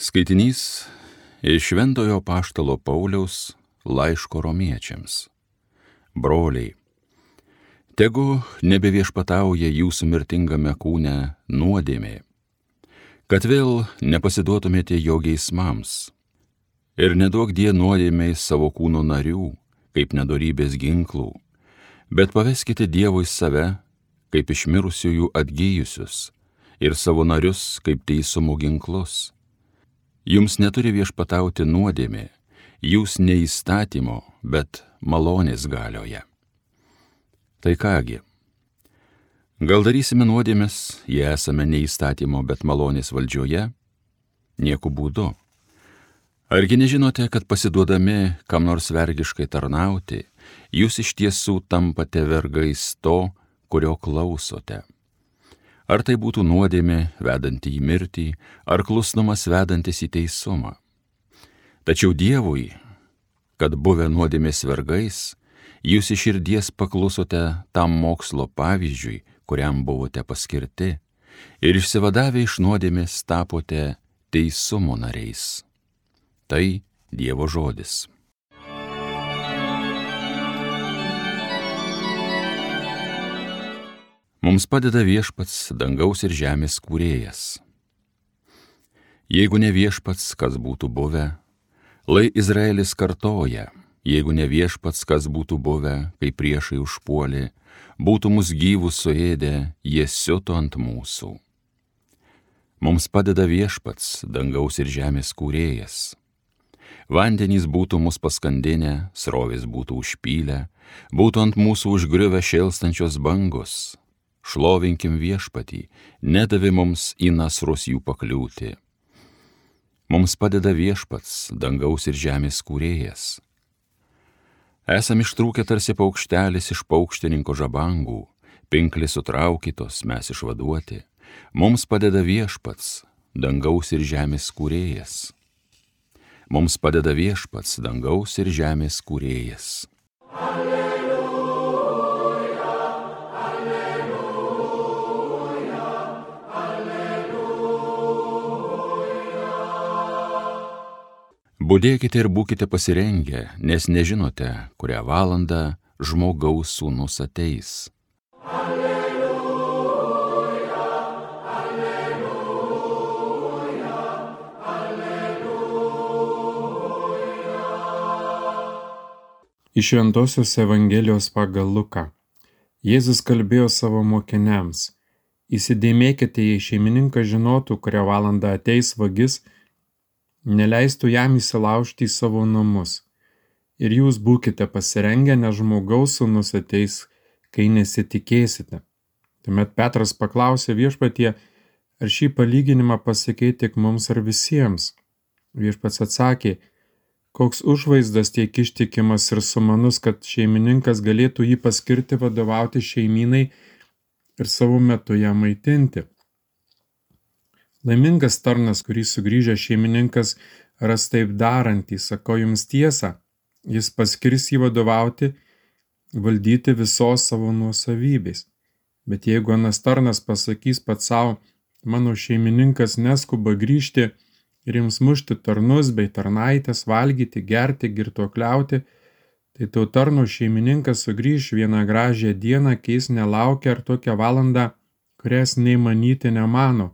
Skaitinys iš Šventojo apaštalo Pauliaus laiško romiečiams. Broliai, tegu nebeviešpatauja jūsų mirtingame kūne nuodėmė, kad vėl nepasiduotumėte jo geismams, ir neduokdie nuodėmei savo kūno narių, kaip nedorybės ginklų, bet paveskite Dievui save, kaip iš mirusiųjų atgyjusius, ir savo narius kaip teisumo ginklus. Jums neturi viešpatauti nuodėmė, jūs ne įstatymo, bet malonės galioje. Tai kągi, gal darysime nuodėmes, jei esame ne įstatymo, bet malonės valdžioje? Nieku būdu. Argi nežinote, kad pasiduodami kam nors vergiškai tarnauti, jūs iš tiesų tampate vergais to, kurio klausote? Ar tai būtų nuodėmė vedanti į mirtį, ar klusnumas vedantis į teisumą? Tačiau Dievui, kad buvę nuodėmės vergais, jūs iš širdies paklusote tam mokslo pavyzdžiui, kuriam buvote paskirti, ir išsivadavę iš nuodėmės tapote teisumo nariais. Tai Dievo žodis. Mums padeda viešpats, dangaus ir žemės kūrėjas. Jeigu ne viešpats, kas būtų buvę, lai Izraelis kartoja, jeigu ne viešpats, kas būtų buvę, kai priešai užpuolė, būtų mus gyvus suėdę, jie siuto ant mūsų. Mums padeda viešpats, dangaus ir žemės kūrėjas. Vandenys būtų mus paskandinę, srovės būtų užpylę, būtų ant mūsų užgriuvę šėlstančios bangos. Šlovinkim viešpatį, nedavė mums į nasrus jų pakliūti. Mums padeda viešpats, dangaus ir žemės kūrėjas. Esam ištrūkę tarsi paukštelis iš paukštininko žabangų, pinklės sutraukytos, mes išvaduoti. Mums padeda viešpats, dangaus ir žemės kūrėjas. Mums padeda viešpats, dangaus ir žemės kūrėjas. Budėkite ir būkite pasirengę, nes nežinote, kurią valandą žmogaus sūnus ateis. Alleluja, alleluja, alleluja. Iš Šventosios Evangelijos pagal Luką. Jėzus kalbėjo savo mokiniams: įsidėmėkite, jei šeimininkas žinotų, kurią valandą ateis vagis, neleistų jam įsilaužti į savo namus. Ir jūs būkite pasirengę, nes žmogaus sūnus ateis, kai nesitikėsite. Tuomet Petras paklausė viešpatie, ar šį palyginimą pasakei tik mums ar visiems? Viešpats atsakė, koks užvaizdas tiek ištikimas ir sumanus, kad šeimininkas galėtų jį paskirti vadovauti šeimynai ir savo metu ją maitinti. Laimingas tarnas, kurį sugrįžęs šeimininkas ras taip darantį, sakau jums tiesą, jis paskirs jį vadovauti, valdyti visos savo nuosavybės. Bet jeigu anas tarnas pasakys pats savo, mano šeimininkas neskuba grįžti ir jums mušti tarnus bei tarnaitės, valgyti, gerti, girtuokliauti, tai to tarno šeimininkas sugrįž vieną gražią dieną, keis nelaukia ar tokią valandą, kurias nei manyti nemano.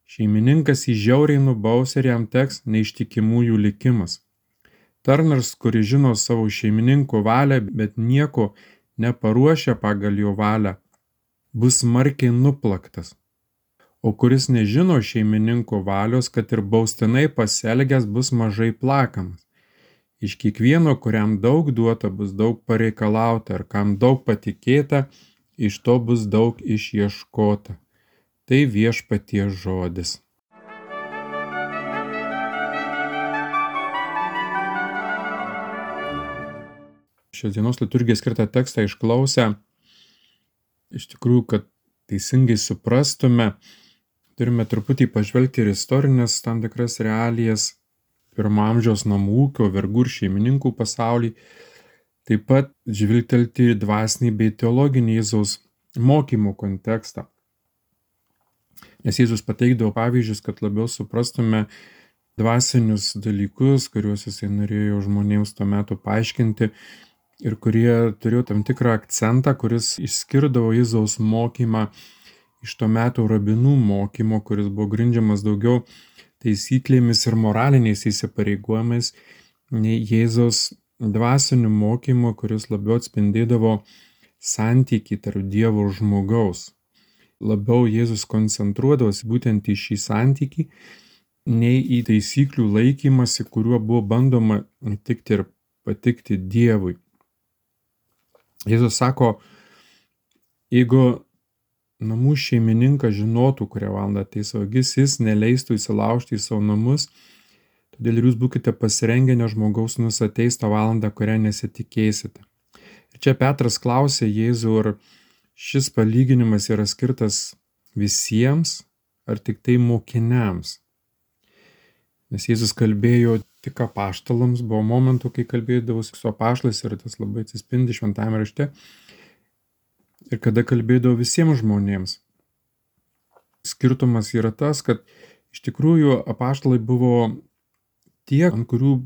Šeimininkas jį žiauriai nubaus ir jam teks neištikimųjų likimas. Tarnas, kuris žino savo šeimininko valią, bet nieko neparuošia pagal jo valią, bus smarkiai nuplaktas. O kuris nežino šeimininko valios, kad ir baustinai pasielgęs, bus mažai plakamas. Iš kiekvieno, kuriam daug duota, bus daug pareikalauta, ir kam daug patikėta, iš to bus daug išieškota. Tai viešpaties žodis. Šios dienos liturgijai skirtą tekstą išklausę, iš tikrųjų, kad teisingai suprastume, turime truputį pažvelgti ir istorinės tam tikras realijas, pirmo amžiaus namų ūkio, vergų ir šeimininkų pasaulį, taip pat žvilgtelti į dvasinį bei teologinį Jėzaus mokymo kontekstą. Nes Jėzus pateikdavo pavyzdžius, kad labiau suprastume dvasinius dalykus, kuriuos jisai norėjo žmonėms tuo metu paaiškinti ir kurie turėjo tam tikrą akcentą, kuris išskirdavo Jėzaus mokymą iš to meto rabinų mokymo, kuris buvo grindžiamas daugiau taisyklėmis ir moraliniais įsipareigojimais, nei Jėzaus dvasiniu mokymu, kuris labiau atspindėdavo santykį tarp Dievo ir žmogaus. Labiau Jėzus koncentruodavosi būtent į šį santykį, nei į taisyklių laikymasi, kuriuo buvo bandoma įtikti ir patikti Dievui. Jėzus sako, jeigu namų šeimininkas žinotų, kurią valandą ateis vagis, jis neleistų įsilaužti į savo namus, todėl ir jūs būkite pasirengę, nes žmogaus sūnus ateis tą valandą, kurią nesitikėsite. Ir čia Petras klausė Jėzų, ar šis palyginimas yra skirtas visiems, ar tik tai mokiniams. Nes Jėzus kalbėjo tik apaštalams, buvo momentų, kai kalbėdavosi su apaštalais ir tas labai atsispindi šventajame rašte. Ir kada kalbėdavo visiems žmonėms. Skirtumas yra tas, kad iš tikrųjų apaštalai buvo tie, ant kurių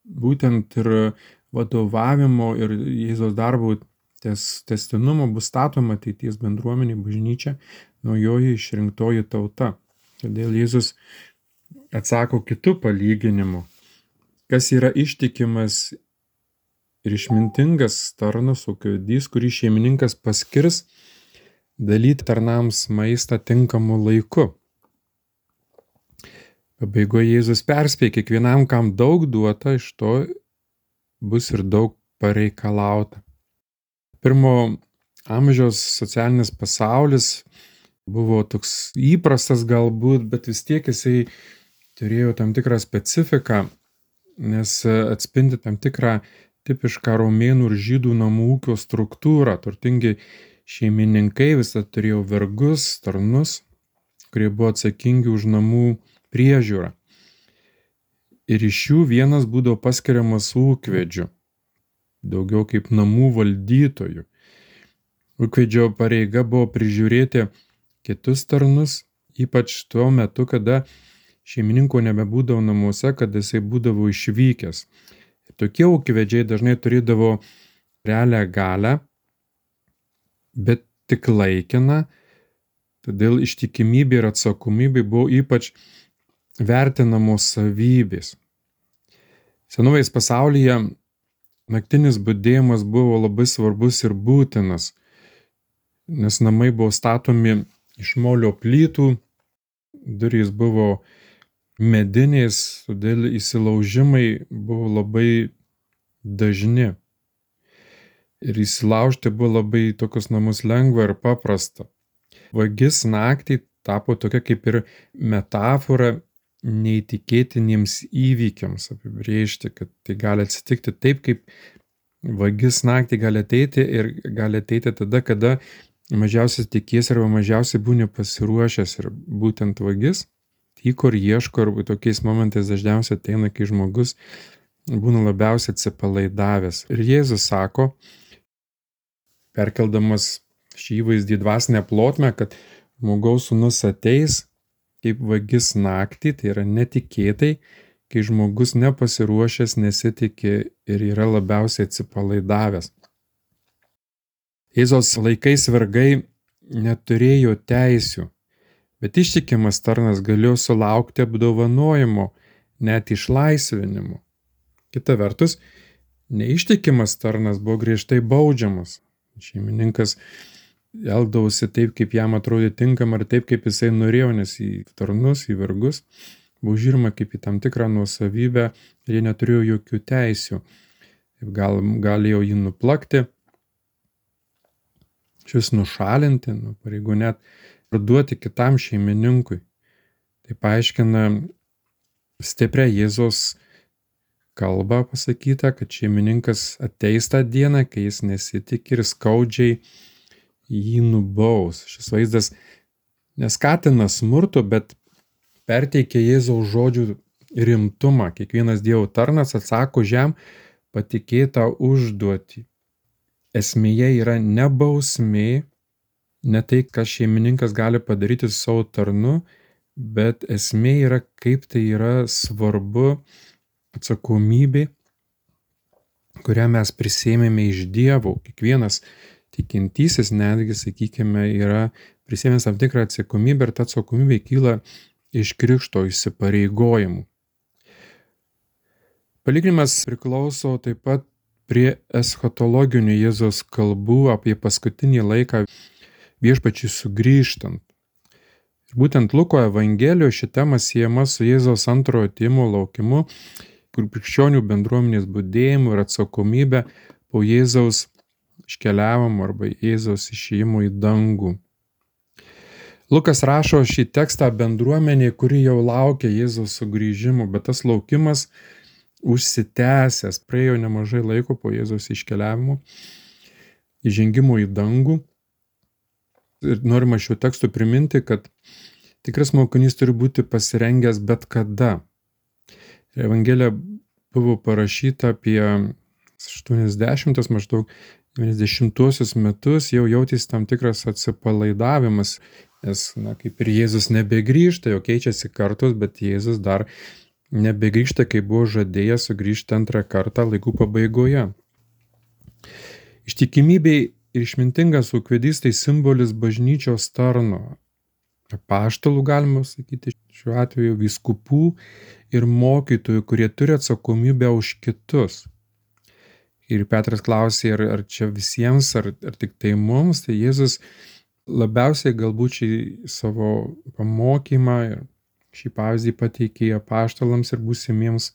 būtent ir vadovavimo ir Jėzaus darbo tęstinumo bus statoma ateities bendruomenė, bažnyčia, naujoji išrinktoji tauta. Todėl Jėzus atsako kitų palyginimu, kas yra ištikimas ir išmintingas tarnas, ūkivedys, kurį šeimininkas paskirs dalyti tarnams maistą tinkamu laiku. Pabaigoje Jėzus perspėja, kiekvienam, kam daug duota, iš to bus ir daug pareikalauta. Pirmo amžiaus socialinis pasaulis buvo toks įprastas galbūt, bet vis tiek jisai turėjo tam tikrą specifiką, nes atspindi tam tikrą tipišką romėnų ir žydų namų ūkio struktūrą. Turtingi šeimininkai visą turėjo vergus, tarnus, kurie buvo atsakingi už namų priežiūrą. Ir iš jų vienas būdavo paskiriamas ūkvedžiu, daugiau kaip namų valdytojų. Ūkvedžio pareiga buvo prižiūrėti kitus tarnus, ypač tuo metu, kada šeimininko nebebūdavo namuose, kada jisai būdavo išvykęs. Ir tokie ūkvedžiai dažnai turėdavo realią galią, bet tik laikiną, todėl ištikimybė ir atsakomybė buvo ypač vertinamos savybės. Senovės pasaulyje naktinis budėjimas buvo labai svarbus ir būtinas, nes namai buvo statomi iš molio plytų, durys buvo medinės, todėl įsilaužimai buvo labai dažni. Ir įsilaužti buvo labai tokius namus lengva ir paprasta. Vagis naktį tapo tokia kaip ir metafora neįtikėtiniems įvykiams apibrėžti, kad tai gali atsitikti taip, kaip vagis naktį gali ateiti ir gali ateiti tada, kada mažiausiai tikies arba mažiausiai būni pasiruošęs. Ir būtent vagis tyko ir ieško, arba tokiais momentais dažniausiai ateina, kai žmogus būna labiausiai atsipalaidavęs. Ir Jėzus sako, perkeldamas šį įvaizdį dvasinę plotmę, kad žmogaus sūnus ateis kaip vagis naktį, tai yra netikėtai, kai žmogus nepasiruošęs, nesitiki ir yra labiausiai atsipalaidavęs. Jėzaus laikais vergai neturėjo teisių, bet ištikimas tarnas galėjo sulaukti apdovanojimo, net išlaisvinimo. Kita vertus, neištikimas tarnas buvo griežtai baudžiamas. Šeimininkas elgdavosi taip, kaip jam atrodė tinkama, ir taip, kaip jisai norėjo, nes į tarnus, į vergus buvo žiūrima kaip į tam tikrą nuosavybę ir jie neturėjo jokių teisių. Galėjo jį nuplakti, šis nušalinti, nuo pareigų net parduoti kitam šeimininkui. Tai paaiškina stiprią Jėzaus kalbą pasakyta, kad šeimininkas ateis tą dieną, kai jis nesitikė ir skaudžiai jį nubaus. Šis vaizdas neskatina smurto, bet perteikia Jėzaus žodžių rimtumą. Kiekvienas Dievo tarnas atsako jam patikėtą užduotį. Esmėje yra ne bausmė, ne tai, ką šeimininkas gali padaryti su savo tarnu, bet esmė yra, kaip tai yra svarbu atsakomybė, kurią mes prisėmėme iš Dievo. Kiekvienas tikintysis netgi, sakykime, yra prisėmęs tam tikrą atsakomybę ir ta atsakomybė kyla iš krikšto įsipareigojimų. Palyginimas priklauso taip pat prie eschatologinių Jėzaus kalbų apie paskutinį laiką viešpačiui sugrįžtant. Ir būtent Luko Evangelijoje ši tema siejama su Jėzaus antrojo atėjimo laukimu, kur krikščionių bendruomenės budėjimu ir atsakomybė po Jėzaus iškeliavimo arba Jėzaus išėjimo į dangų. Lukas rašo šį tekstą bendruomenė, kuri jau laukia Jėzaus sugrįžimo, bet tas laukimas užsitęsęs, praėjo nemažai laiko po Jėzaus iškeliavimo, įžengimo į dangų. Ir norima šiuo tekstu priminti, kad tikras mokinys turi būti pasirengęs bet kada. Evangelija buvo parašyta apie 80 maždaug 90 metus, jau jautėsi tam tikras atsipalaidavimas, nes, kaip ir Jėzus nebegrįžta, jau keičiasi kartos, bet Jėzus dar nebegrįžta, kai buvo žadėjęs sugrįžti antrą kartą laikų pabaigoje. Ištikimybei ir išmintingas ūkvedys tai simbolis bažnyčios tarno, apaštalų galima sakyti, šiuo atveju vyskupų ir mokytojų, kurie turi atsakomybę už kitus. Ir Petras klausė, ar čia visiems, ar tik tai mums, tai Jėzus labiausiai galbūt šį savo pamokymą ir šį pavyzdį pateikė apaštalams ir būsimiems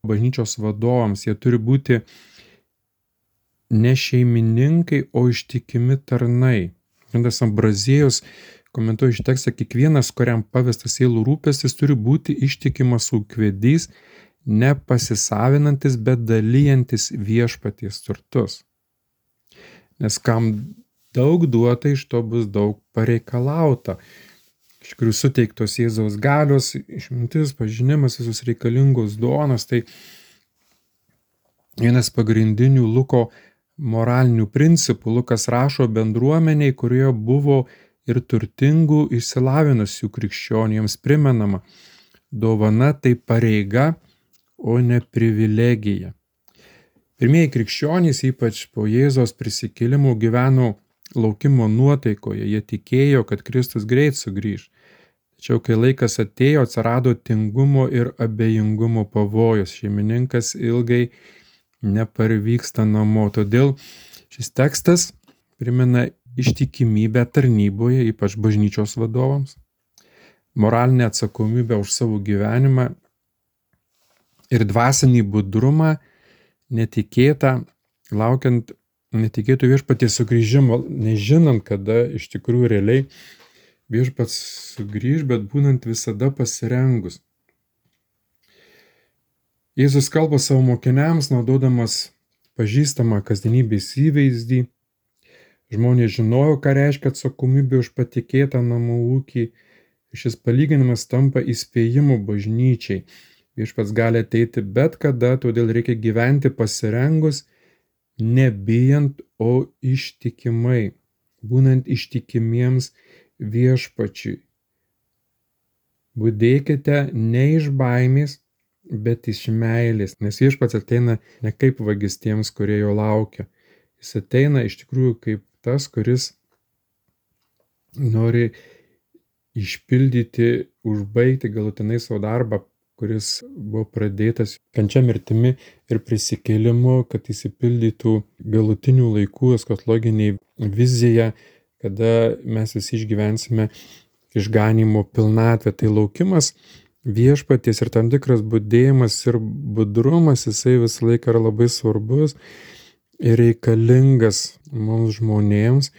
bažnyčios vadovams. Jie turi būti ne šeimininkai, o ištikimi tarnai. Šventas Ambraziejus komentuoja šį tekstą, kiekvienas, kuriam pavestas sielų rūpestis, turi būti ištikimas ūkvedys, nepasisavinantis, bet dalyjantis viešpaties turtus. Nes kam daug duota, iš to bus daug pareikalauta. Iš kurių suteiktos Jėzaus galios, išmintis, pažinimas, visus reikalingos duonos, tai vienas pagrindinių Luko moralinių principų. Lukas rašo bendruomeniai, kurioje buvo ir turtingų išsilavinusių krikščionių, jiems primenama, dovana tai pareiga, o ne privilegija. Pirmieji krikščionys, ypač po Jėzaus prisikėlimo, gyveno laukimo nuotaikoje, jie tikėjo, kad Kristus greit sugrįš. Tačiau kai laikas atėjo, atsirado tingumo ir abejingumo pavojus, šeimininkas ilgai neparvyksta namo. Todėl šis tekstas primena ištikimybę tarnyboje, ypač bažnyčios vadovams, moralinę atsakomybę už savo gyvenimą ir dvasinį budrumą, netikėtą, laukiant netikėtų viešpaties sugrįžimo, nežinant, kada iš tikrųjų realiai viešpats sugrįž, bet būnant visada pasirengus. Jėzus kalba savo mokiniams, naudodamas pažįstamą kasdienybės įvaizdį. Žmonės žinojo, ką reiškia atsakomybė už patikėtą namų ūkį. Šis palyginimas tampa įspėjimu bažnyčiai. Viešpats gali ateiti bet kada, todėl reikia gyventi pasirengus, nebijant, o ištikimai, būnant ištikimiems viešpačiui. Budėkite ne iš baimės, bet iš meilės, nes viešpats ateina ne kaip vagis tiems, kurie jo laukia. Jis ateina iš tikrųjų kaip tas, kuris nori išpildyti, užbaigti galutinai savo darbą, kuris buvo pradėtas kančia, mirtimi ir prisikėlimu, kad įsipildytų galutinių laikų eschatologiniai vizija, kada mes visi išgyvensime išganymo pilnatvę. Tai laukimas viešpaties ir tam tikras budėjimas ir budrumas, jisai visą laiką yra labai svarbus ir reikalingas mums žmonėms.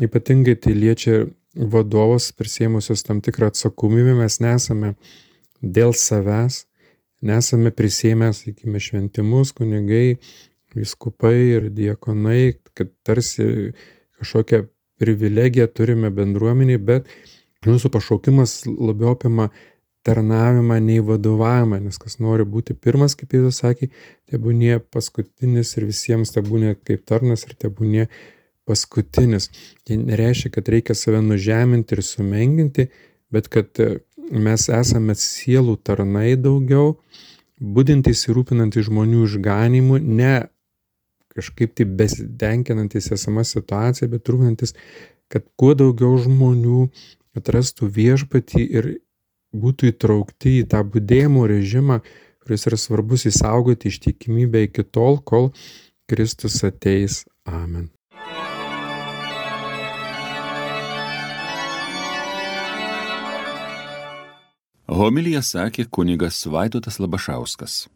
Ypatingai tai liečia vadovus prisėmusios tam tikrą atsakomybę. Mes nesame dėl savęs, nesame prisėmę, sakykime, šventimus, kunigai, vyskupai ir diakonai, kad tarsi kažkokią privilegiją turime bendruomeniai, bet mūsų pašaukimas labiau apima tarnavimą nei vadovavimą, nes kas nori būti pirmas, kaip Jėzus sakė, tebūnie paskutinis ir visiems tebūnie kaip tarnas ir tebūnie paskutinis. Tai nereiškia, kad reikia save nužeminti ir sumenginti, bet kad mes esame sielų tarnai daugiau, budintys ir rūpinantys žmonių išganimu, ne kažkaip tai besitenkinantis esama situacija, bet rūpinantis, kad kuo daugiau žmonių atrastų viešpatį ir būtų įtraukti į tą budėjimo režimą, kuris yra svarbus išsaugoti ištikimybę iki tol, kol Kristus ateis. Amen. Homiliją sakė kunigas Vaidotas Labašauskas.